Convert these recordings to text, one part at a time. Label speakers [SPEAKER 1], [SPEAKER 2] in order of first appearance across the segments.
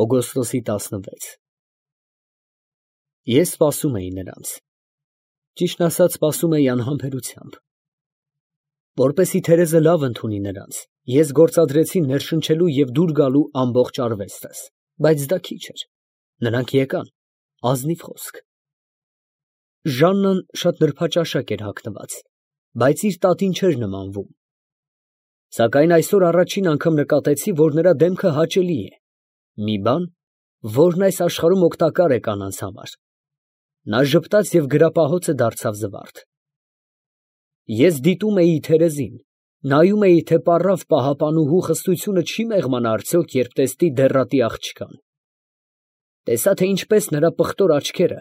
[SPEAKER 1] Օգոստոսի 16 Ես սպասում էի նրանց, ճիշտն ասած սպասում էի անհամբերությամբ, որպեսզի Թերեզը լավ ընդունի նրանց, ես գործադրեցի ներշնչելու և դուր գալու ամբողջ արվեստս, բայց դա քիչ էր, նրանք եկան, ազնիվ խոսք։ Ժաննան շատ նրբաճաշակ էր հագնված, բայց իր տատին չէր նմանվում, սակայն այսօր առաջին անգամ նկատեցի, որ նրա դեմքը հաճելի է, մի բան, որն այս աշխարհում օգտակար է կանանց համար։ Նա ժպտաց և գրապահոցը դարձավ զվարթ։ Ես դիտում էի Թերեզին, նայում էի, թե պառավ պահապանուհու խստությունը չի մեղմանա արդյոք, երբ տեսնի դեռատի աղջկան։ Տեսա, թե ինչպես նրա պղտոր աչքերը,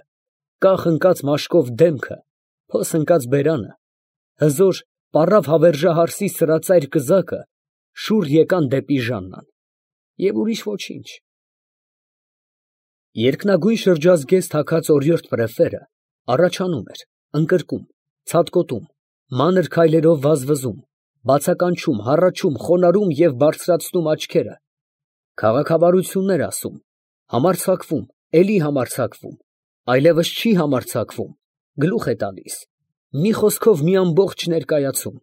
[SPEAKER 1] կախ ընկած մաշկով դեմքը, փոս ընկած բերանը, հզոր պառավ հավերժահարսի սրածայր կզակը շուռ եկան դեպի Ժաննան, և ուրիշ ոչինչ։ Երկնագույն շրջազգեստ հագած օրիորդ պրեֆերը առաջանում էր, ընկրկում, ցատկոտում, մանր քայլերով վազվզում, բացականչում, հառաչում, խոնարհում և բարձրացնում աչքերը, քաղաքավարություններ ասում, համարձակվում, էլի համարձակվում, այլևս չի համարձակվում, գլուխ է տալիս, մի խոսքով մի ամբողջ ներկայացում։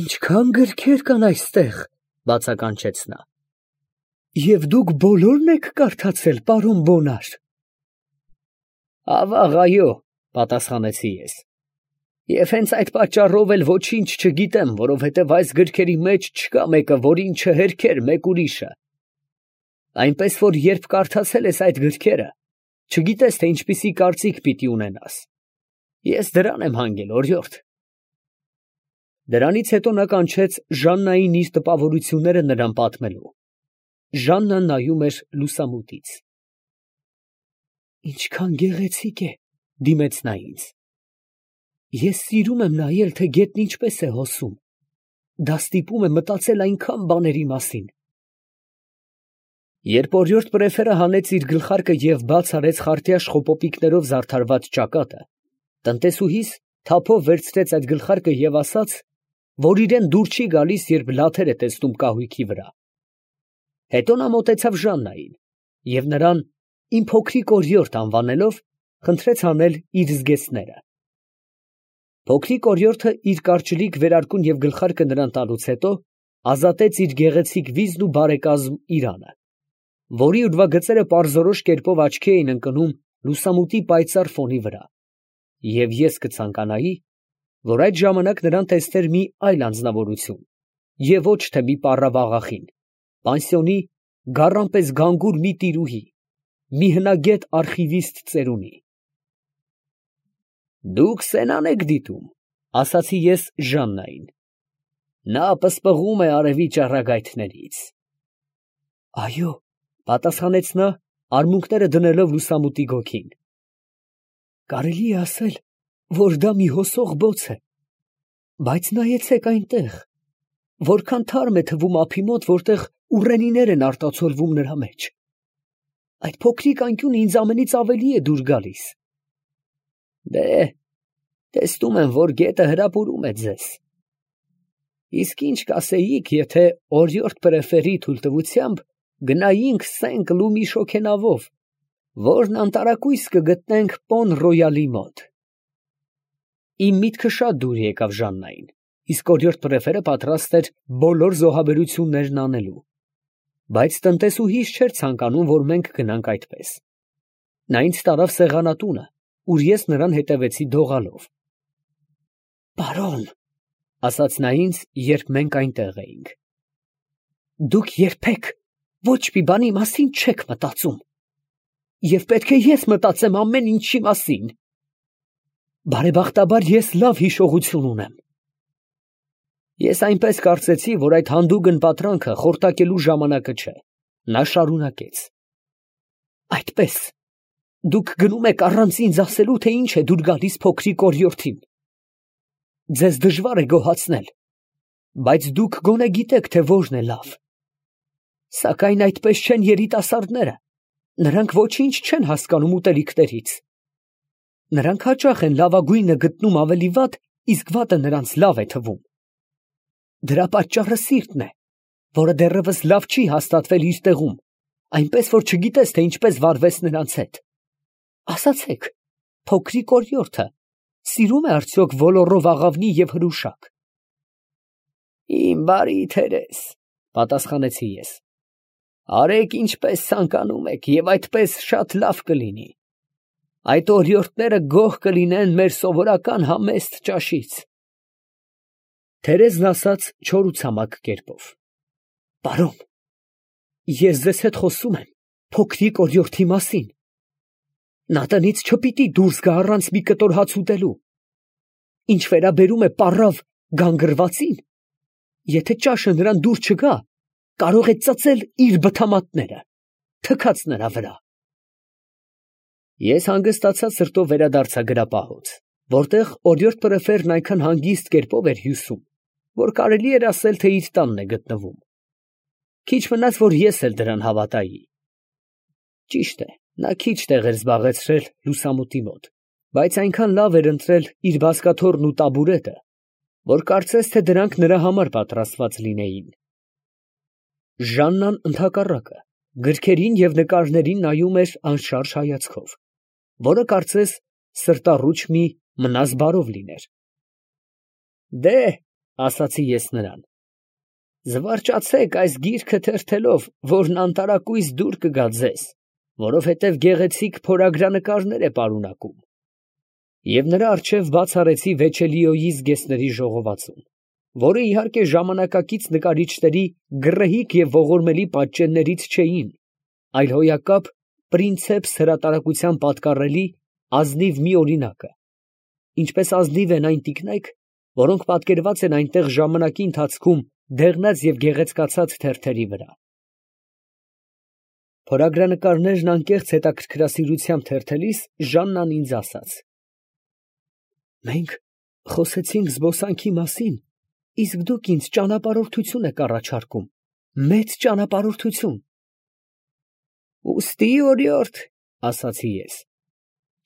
[SPEAKER 1] «Ինչքան գրքեր կան այստեղ», բացականչեց նա։ «Եվ դուք բոլորն եք կարդացել, պարոն Բոնար»։ «Ավաղ, այո», պատասխանեցի ես, «և հենց այդ պատճառով էլ ոչինչ չգիտեմ, որովհետև այս գրքերի մեջ չկա մեկը, որին չհերքեր մեկ ուրիշը։ Այնպես որ երբ կարդացել ես այդ գրքերը, չգիտես, թե ինչպիսի կարծիք պիտի ունենաս։ Ես դրան եմ հանգել, օրիորդ»։ Դրանից հետո նա կանչեց Ժաննային իր տպավորությունները նրան պատմելու։ Ժաննան նայում էր լուսամուտից։ «Ինչքան գեղեցիկ է», դիմեց նա ինձ։ «Ես սիրում եմ նայել, թե գետն ինչպես է հոսում, դա ստիպում է մտածել այնքան բաների մասին»։ Երբ օրիորդ պրեֆերը հանեց իր գլխարկը և բաց արեց խարտյաշ խոպոպիկներով զարդարված ճակատը, տնտեսուհիս թափով վերցրեց այդ գլխարկը և ասաց, որ իրան դուր չի գալիս, երբ լաթեր է տեսնում կահույքի վրա։ Հետո նա մոտեցավ Ժաննային և նրան «իմ փոքրիկ օրիորդ» անվանելով, խնդրեց հանել իր զգեստները։ Փոքրիկ օրիորդը իր կարճլիկ վերարկուն և գլխարկը նրան տալուց հետո ազատեց իր գեղեցիկ վիզն ու բարեկազմ իրանը, որի ուրվագծերը պարզորոշ կերպով աչքի էին ընկնում լուսամուտի պայծառ ֆոնի վրա, և ես կցանկանայի, որ այդ ժամանակ նրան տեսներ մի այլ անձնավորություն, և ոչ թե մի պառավ աղախին, պանսիոնի գառան պես գանգուր մի տիրուհի, մի հնագետ արխիվիստ ծերունի։ «Դուք սենան եք դիտում», ասացի ես Ժաննային։ «Նա պսպղում է արևի ճառագայթներից»։ «Այո», պատասխանեց նա, արմունկները դնելով լուսամուտի գոգին։ «Կարելի է ասել, որ դա մի հոսող բոց է, բայց նայեցեք այնտեղ, որքան թարմ է թվում ափի մոտ, որտեղ ուռենիներ են արտացոլվում նրա մեջ։ Այդ փոքրիկ անկյունը ինձ ամենից ավելի է դուր գալիս»։ «Դե, տեսնում եմ, որ գետը հրապուրում է ձեզ։ Իսկ ինչ կասեիք, եթե օրիորդ պրեֆերի թույլտվությամբ գնայինք Սենք Լումի շոգենավով, որն անտարակույս կգտնենք Պոն Ռոյալի մոտ»։ Իմ միտքը շատ դուր եկավ Ժաննային, իսկ օրիորդ պրեֆերը պատրաստ էր բոլոր զոհաբերություններն անելու, բայց տնտեսուհիս չէր ցանկանում, որ մենք գնանք այդպես։ Նա ինձ տարավ սեղանատունը, ուր ես նրան հետևեցի դողալով։ «Պարոն», ասաց նա ինձ, երբ մենք այնտեղ էինք, «դուք երբեք ոչ մի բանի մասին չեք մտածում, և պետք է ես մտածեմ ամեն ինչի մասին։ Բարեբախտաբար ես լավ հիշողություն ունեմ»։ Ես այնպես կարծեցի, որ այդ հանդուգն պատրանքը խորտակելու ժամանակը չէ։ Նա շարունակեց. «Այդպես, դուք գնում եք առանց ինձ ասելու, թե ինչ է դուր գալիս փոքրիկ օրիորդին։ Ձեզ դժվար է գոհացնել, բայց դուք գոնե գիտեք, թե որն է լավ։ Սակայն այդպես չեն երիտասարդները, նրանք ոչինչ չեն հասկանում ուտելիքներից։ Նրանք հաճախ են լավագույնը գտնում ավելի վատ, իսկ վատը նրանց լավ է թվում։ Դրա պատճառը սիրտն է, որը դեռևս լավ չի հաստատվել իր տեղում այնպես որ չգիտես, թե ինչպես վարվես նրանց հետ։ Ասացեք, փոքրիկ օրիորդը սիրում է արդյոք ոլորով աղավնի և հրուշակ։ Իմ բարի թերես, պատասխանեցի ես, արեք ինչպես ցանկանում եք, և այդպես շատ լավ կլինի։ Այդ օրիորդները գոհ կլինեն մեր սովորական համեստ ճաշից։ Թերեզն ասաց չոր ու ցամաք կերպով. Պարոն, ես ձեզ հետ խոսում եմ փոքրիկ օրիորդի մասին։ Նա տնից չպիտի դուրս գա առանց մի կտոր հաց ուտելու։ Ինչ վերաբերում է պառավ գանգրվածին, եթե ճաշը նրան դուր չգա, կարող է ծծել իր բթամատները, թքած նրա վրա։ Ես հանգստացած սրտով վերադարձա գրապահոց, որտեղ օրիորդ պրեֆերն այնքան հանգիստ կերպով էր հյուսում, որ կարելի էր ասել, թե իր տանն է գտնվում։ Քիչ մնաց, որ ես էլ դրան հավատայի։ Ճիշտ է, նա քիչ տեղ էր զբաղեցրել լուսամուտի մոտ, բայց այնքան լավ էր ընտրել իր բազկաթոռն ու տաբուրետը, որ կարծես թե դրանք նրա համար պատրաստված լինեին։ Ժաննան ընդհակառակը գրքերին և նկարներին նայում էր անշարժ հայացքով, որը կարծես սրտառուչ մի մնաս բարով լիներ։ Դե, ասացի ես նրան, զվարճացեք այս գիրքը թերթելով, որն անտարակույս դուր կգա ձեզ, որովհետև գեղեցիկ փորագրանկարներ է պարունակում։ Եվ նրա առջև բաց արեցի Վեչելիոյի զգեստների ժողովածուն, որը իհարկե ժամանակակից նկարիչների գռեհիկ և ողորմելի պատճեններից չէին, այլ հոյակապ պրինցեպս հրատարակության պատկառելի ազնիվ մի օրինակը, ինչպես ազնիվ են այն տիկնայք, որոնք պատկերված են այնտեղ ժամանակի ընթացքում դեղնած և գեղեցկացած թերթերի վրա։ Փորագրանկարներն անկեղծ հետաքրքրասիրությամբ թերթելիս Ժաննան ինձ ասաց. Մենք խոսեցինք զբոսանքի մասին, իսկ դուք ինձ ճանապարհորդություն եք առաջարկում, մեծ ճանապարհորդություն։ Ուստի օրիորդ, ասացի ես,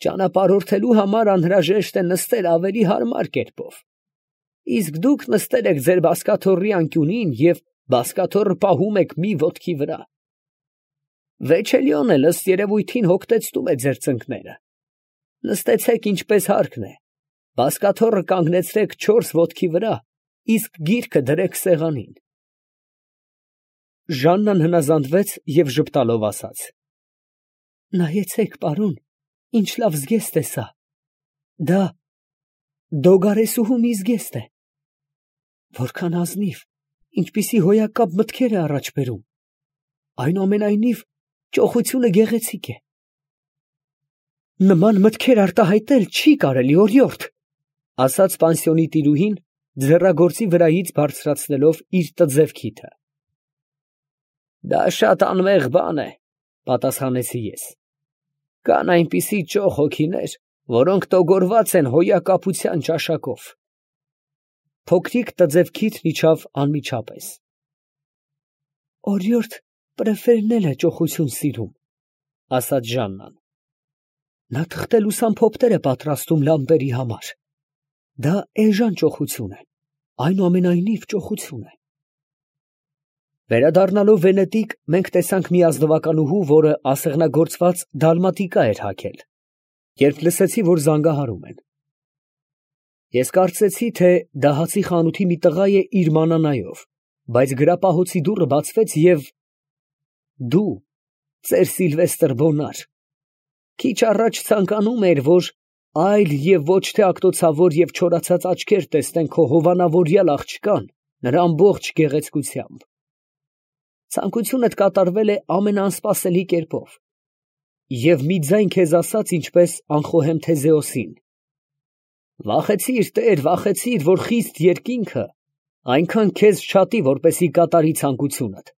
[SPEAKER 1] ճանապարհորդելու համար անհրաժեշտ է նստել ավելի հարմար կերպով, իսկ դուք նստել եք ձեր բազկաթոռի անկյունին և բազկաթոռը պահում եք մի ոտքի վրա։ Վեչելիոն էլ ըստ երևույթին հոգտեցնում է ձեր ծնկները։ Նստեցեք ինչպես հարկն է, բազկաթոռը կանգնեցրեք 4 ոտքի վրա, իսկ գիրքը դրեք սեղանին։ Ժաննան հնազանդվեց և ժպտալով ասաց. Նայեցեք, պարոն, ինչ լավ զգեստ է սա։ Դա դոգարեսուհու մի զգեստ է։ Որքան ազնիվ, ինչպիսի հոյակապ մտքեր է առաջ բերում։ Այնուամենայնիվ, ճոխությունը գեղեցիկ է։ Նման մտքեր արտահայտել չի կարելի, օրիորդ, ասաց պանսիոնի տիրուհին, ձեռագործի վրայից բարձրացնելով իր տձև քիթը։ Դա շատ անմեղ բան է, պատասխանեցի ես։ Կան այնպիսի ճոխ հոգիներ, որոնք տոգորված են հոյակապության ճաշակով։ Փոքրիկ տձև քիթն իջավ անմիջապես։ Օրիորդ պրեֆերն էլ է ճոխություն սիրում, ասաց Ժաննան։ Նա թղթե լուսամփոփներ է պատրաստում լամպերի համար։ Դա էժան ճոխություն է, այնուամենայնիվ ճոխություն է։ Վերադառնալով Վենետիկ, մենք տեսանք մի ազնվականուհու, որը ասեղնագործված դալմատիկա էր հագել, երբ լսեցի, որ զանգահարում են։ Ես կարծեցի, թե դա հացի խանութի մի տղա է իր մանանայով, բայց գրապահոցի դուռը բացվեց և… դու, ծեր Սիլվեստր Բոնար, քիչ առաջ ցանկանում էիր, որ այլ և ոչ թե ակտոցավոր և չորացած աչքեր տեսնեն քո հովանավորյալ աղջկան նրա ամբողջ գեղեցկությամբ։ Ցանկությունդ կատարվել է ամենաանսպասելի կերպով, և մի ձայն քեզ ասաց, ինչպես անխոհեմ Թեզեոսին. վախեցիր, տեր, վախեցիր, որ խիստ երկինքը այնքան քեզ չատի, որպեսզի կատարի ցանկությունդ։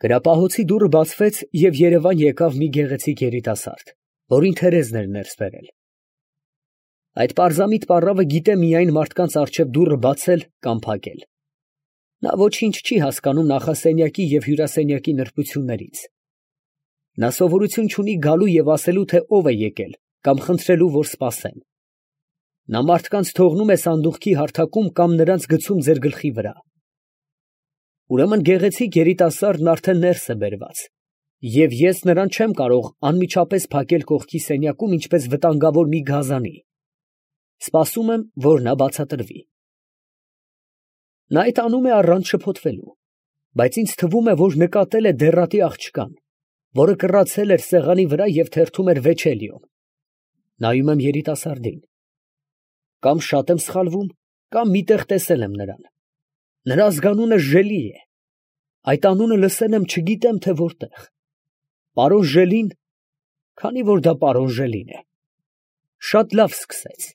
[SPEAKER 1] Գրապահոցի դուռը բացվեց, և երևան եկավ մի գեղեցիկ երիտասարդ, որին Թերեզն էր ներս բերել։ Այդ պարզամիտ պառավը գիտե միայն մարդկանց առջև դուռը բացել կամ փակել։ Նա ոչինչ չի հասկանում նախասենյակի և հյուրասենյակի նրբություններից։ Նա սովորություն չունի գալու և ասելու, թե ով է եկել, կամ խնդրելու, որ սպասեն։ Նա մարդկանց թողնում է սանդուղքի հարթակում կամ նրանց գցում ձեր գլխի վրա։ Ուրեմն գեղեցիկ երիտասարդն արդեն ներս է բերված, և ես նրան չեմ կարող անմիջապես փակել կողքի սենյակում, ինչպես վտանգավոր մի գազանի. սպասում եմ, որ նա բացատրվի։ Նա այդ անում է առանց շփոթվելու, բայց ինձ թվում է, որ նկատել է դեռատի աղջկան, որը կռացել էր սեղանի վրա և թերթում էր Վեչելիոն։ Նայում եմ երիտասարդին. կամ շատ եմ սխալվում, կամ միտեղ տեսել եմ նրան։ Նրա ազգանունը Ժելի է։ Այդ անունը լսել եմ չգիտեմ թե որտեղ։ Պարոն Ժելին, քանի որ դա պարոն Ժելին է, շատ լավ սկսեց։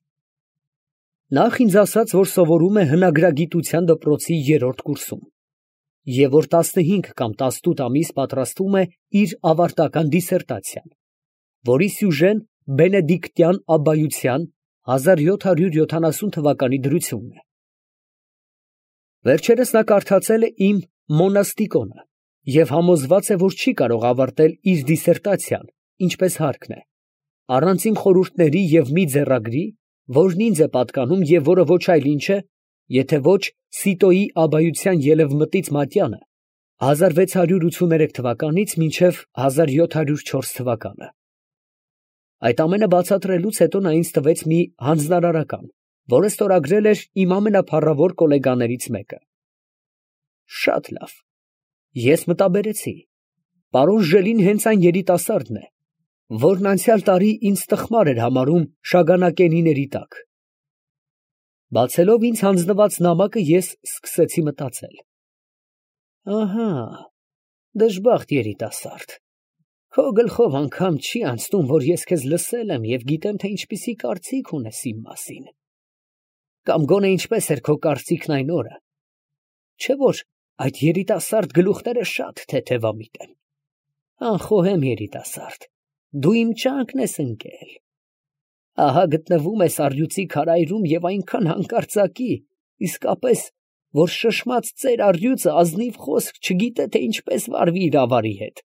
[SPEAKER 1] Նախ ինձ ասաց, որ սովորում է հնագրագիտության դպրոցի 3-րդ կուրսում, և որ 15 կամ 18 ամիս պատրաստում է իր ավարտական դիսերտացիան, որի սյուժեն բենեդիկտյան աբբայության 1770 թվականի դրությունն է։ Վերջերս նա կարդացել է իմ Մոնաստիկոնը և համոզված է, որ չի կարող ավարտել իր դիսերտացիան, ինչպես հարկն է, առանց իմ խորհուրդների և մի ձեռագրի, որն ինձ է պատկանում և որը ոչ այլ ինչ է, եթե ոչ Սիտոյի աբբայության ելևմտից մատյանը 1683 թվականից մինչև 1704 թվականը։ Այդ ամենը բացատրելուց հետո նա ինձ տվեց մի հանձնարարական, որը ստորագրել էր իմ ամենափառավոր գոլեգաներից մեկը։ Շատ լավ, ես մտաբերեցի, պարոն Ժելին հենց այն երիտասարդն է, որն անցյալ տարի ինձ տխմար էր համարում շագանակենիների տակ։ Բացելով ինձ հանձնված նամակը, ես սկսեցի մտածել. ահա, դժբախտ երիտասարդ, քո գլխով անգամ չի անցնում, որ ես քեզ լսել եմ և գիտեմ, թե ինչպիսի կարծիք ունես իմ մասին, կամ գոնե ինչպես էր քո կարծիքն այն օրը, չէ՞ որ այդ երիտասարդ գլուխները շատ թեթևամիտ են։ Անխոհեմ երիտասարդ, դու իմ ճանկն ես ընկել։ Ահա գտնվում ես առյուծի քարայրում և այնքան հանկարծակի, իսկապես, որ շշմած ծեր առյուծը ազնիվ խոսք չգիտե, թե ինչպես վարվի իր ավարի հետ։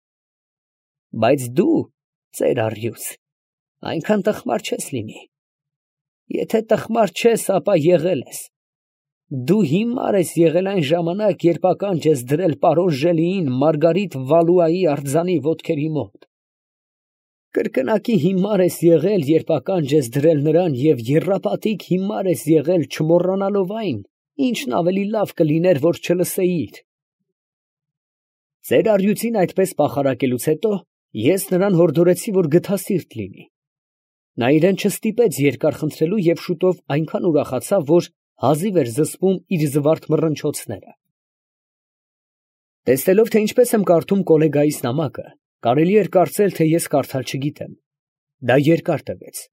[SPEAKER 1] Բայց դու, ծեր առյուծ, այնքան տխմար չես լինի։ Եթե տխմար չես, ապա եղել ես։ Դու հիմար ես եղել այն ժամանակ, երբ ականջ ես դրել պարոն Ժելիին Մարգարիտ Վալուայի արձանի ոտքերի մոտ։ Կրկնակի հիմար ես եղել, երբ ականջ ես դրել նրան, և եռապատիկ հիմար ես եղել, չմոռանալով այն, ինչն ավելի լավ կլիներ, որ չլսեիր։ Ծեր առյուծին այդպես պախարակելուց հետո, ես նրան հորդորեցի, որ գթասիրտ լինի։ Նա իրեն չստիպեց երկար խնդրելու և շուտով այնքան ուրախացավ, որ հազիվ էր զսպում իր զվարթ մռնչոցները։ Տեսնելով, թե ինչպես եմ կարդում կոլեգայիս նամակը, կարելի էր կարծել, թե ես կարդալ չգիտեմ։ Դա երկար տևեց,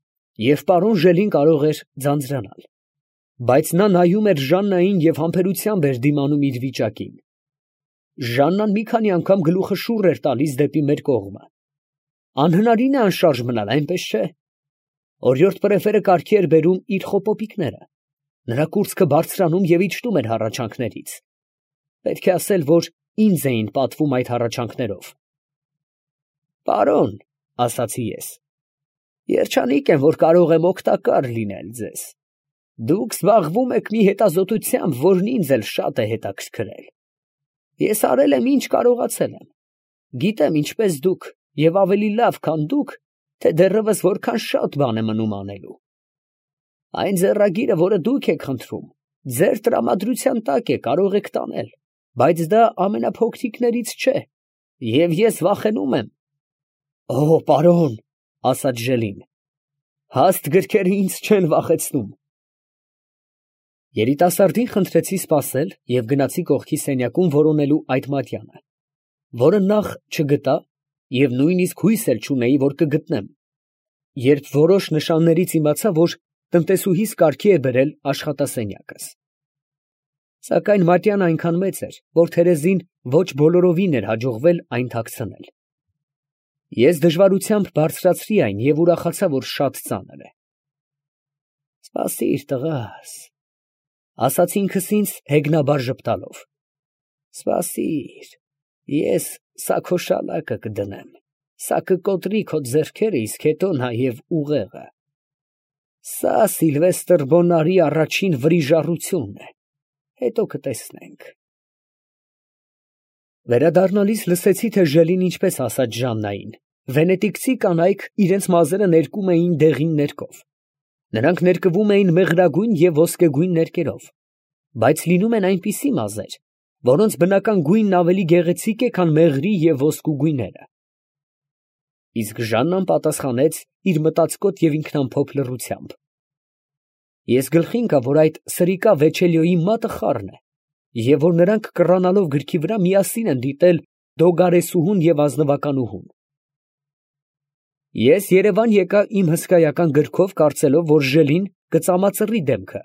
[SPEAKER 1] և պարոն Ժելին կարող էր ձանձրանալ, բայց նա նայում էր Ժաննային և համբերությամբ էր դիմանում իր վիճակին։ Ժաննան մի քանի անգամ գլուխը շուռ էր տալիս դեպի մեր կողմը։ Անհնարին է անշարժ մնալ, այնպես չէ։ Օրիորդ պրեֆերը կարգի էր բերում իր խոպոպիկները, նրա կուրծքը բարձրանում և իջնում էր հառաչանքներից։ Պետք է ասել, որ ինձ էին պատվում այդ հառաչանքներով։ Պարոն, ասացի ես, երջանիկ եմ, որ կարող եմ օգտակար լինել ձեզ։ Դուք զբաղվում եք մի հետազոտությամբ, որն ինձ էլ շատ է հետաքրքրել։ Ես արել եմ, ինչ կարողացել եմ։ Գիտեմ, ինչպես դուք, և ավելի լավ, քան դուք, թե դեռևս որքան շատ բան է մնում անելու։ Այն ձեռագիրը, որը դուք եք խնդրում, ձեր տրամադրության տակ է, կարող եք տանել, բայց դա ամենափոքրիկներից չէ, և ես վախենում եմ։ Օ, պարոն, ասաց Ժելին, հաստ գրքերը ինձ չեն վախեցնում։ Երիտասարդին խնդրեցի սպասել և գնացի կողքի սենյակում որոնելու այդ մատյանը, որը նախ չգտա և նույնիսկ հույս էլ չունեի, որ կգտնեմ, երբ որոշ նշաններից իմացա, որ տնտեսուհիս կարգի է բերել աշխատասենյակս։ Սակայն մատյանն այնքան մեծ էր, որ Թերեզին ոչ բոլորովին էր հաջողվել այն թաքցնել։ Ես դժվարությամբ բարձրացրի այն և ուրախացա, որ շատ ծանր է։ Սպասիր, տղաս, ասացի ինքս ինձ հեգնաբար ժպտալով։ Սպասիր, ես սա քո շալակը կդնեմ, սա կկոտրի քո ձեռքերը, իսկ հետո նաև ուղեղը։ Սա Սիլվեստր Բոնարի առաջին վրիժառությունն է, հետո կտեսնենք։ Վերադառնալիս լսեցի, թե Ժելին ինչպես ասաց Ժաննային. վենետիկցի կանայք իրենց մազերը ներկում էին դեղին ներկով. նրանք ներկվում էին մեղրագույն և ոսկեգույն ներկերով, բայց լինում են այնպիսի մազեր, որոնց բնական գույնն ավելի գեղեցիկ է, քան մեղրի և ոսկու գույները։ Իսկ Ժաննան պատասխանեց իր մտածկոտ և ինքնամփոփ լռությամբ. ես գլխի ընկա, որ այդ սրիկա Վեչելիոյի մատը խառն է, և որ նրանք կռանալով գրքի վրա միասին են դիտել Դոգարեսուհուն և ազնվականուհուն։ Ես Երևան եկա իմ հսկայական գրքով, կարծելով, որ Ժելին կծամածռի դեմքը։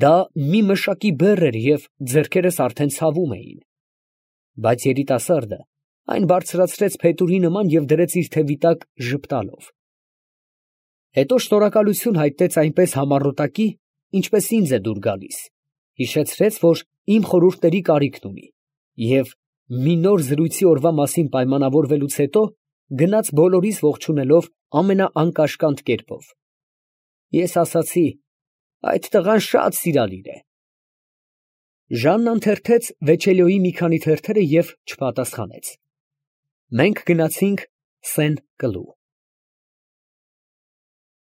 [SPEAKER 1] Դա մի մշակի բեռ էր և ձեռքերս արդեն ցավում էին։ Բայց երիտասարդը այն բարձրացրեց փետուրի նման և դրեց իր թևի տակ ժպտալով։ Հետո շնորհակալություն հայտնեց այնպես համառոտակի, ինչպես ինձ է դուր գալիս, հիշեցրեց, որ իմ խորհուրդների կարիքն ունի, և մի նոր զրույցի օրվա մասին պայմանավորվելուց հետո գնաց բոլորիս ողջունելով ամենաանկաշկանդ կերպով։ Ես ասացի. այդ տղան շատ սիրալիր է։ Ժաննան թերթեց Վեչելիոյի մի քանի թերթերը և չպատասխանեց։ Մենք գնացինք Սեն Կլու։